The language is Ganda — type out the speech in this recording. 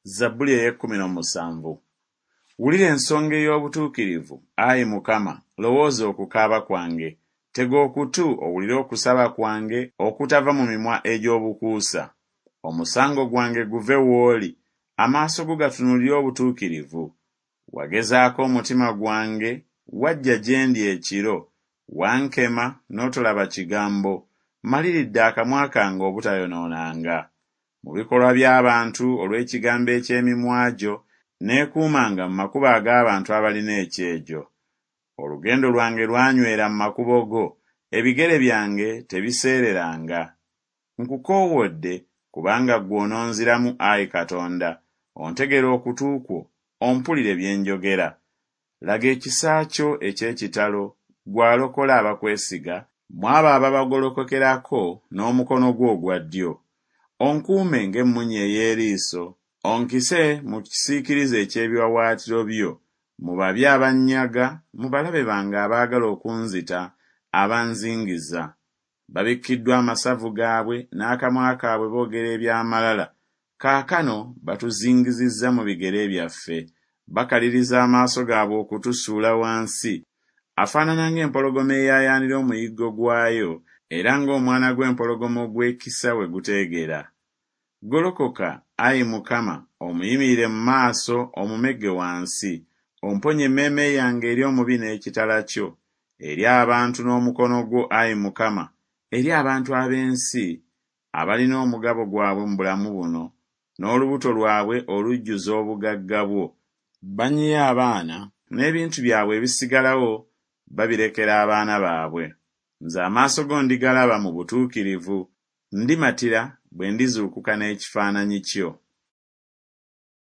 Zabbuli ey'ekkumi n'omusanvu. Wulira ensonga ey'obutuukirivu, ayi Mukama, lowooza okukaaba kwange. Tega okutu owulire okusaba kwange okutava mu mimwa egy'obukuusa. Omusango gwange guve w'oli, amaaso go gatunuulire obutuukirivu. Wagezaako omutima gwange, wajja gye ndi ekiro, wankema n'otolaba kigambo. Mmaliridde akamwa kange obutayonoonanga. Mu bikolwa by'abantu olw'ekigambo eky'emimwa gyo, neekuumanga mu makubo ag'abantu abalina ekyejo. Olugendo lwange lwanywera mu makubo go, ebigere byange tebiseereranga. Nkukoowodde kubanga ggwe ononziramu, ayi Katonda, ontegere okutu kwo, ompulire bye njogera. Laga ekisa kyo eky'ekitalo, ggwe alokola abakwesiga, mu abo ababagolokokerako n'omukono gwo ogwa ddyo. Onkuume ng'emmunye ey'eriiso, onkise mu kisiikirize eky'ebiwaawaatiro byo, mu babi abannyaga, mu balabe bange abaagala okunzita, abanzingiza. Babikkiddwa amasavu gaabwe, n'akamwa kaabwe boogera eby'amalala. Kaakano batuzingizizza mu bigere byaffe, bakaliriza amaaso gaabwe okutusuula wansi. Afaanana ng'empologoma eyaayaanira omuyiggo gwayo, era ng'omwana gw'empologoma ogw'ekisa we guteegera. Golokoka, ayi Mukama, omuyimirire mu maaso, omumegge wansi. Omponye emmeeme yange eri omubi n'ekitala kyo, eri abantu n'omukono gwo, ayi Mukama, eri abantu ab'ensi, abalina omugabo gwabwe mu bulamu buno, n'olubuto lwabwe olujjuza obugagga bwo. Banyiye abaana, n'ebintu byabwe ebisigalawo babirekera abaana baabwe. Nze amaaso go ndigalaba mu butuukirivu, ndimatira bwe ndizuukuka n'ekifaananyi kyo.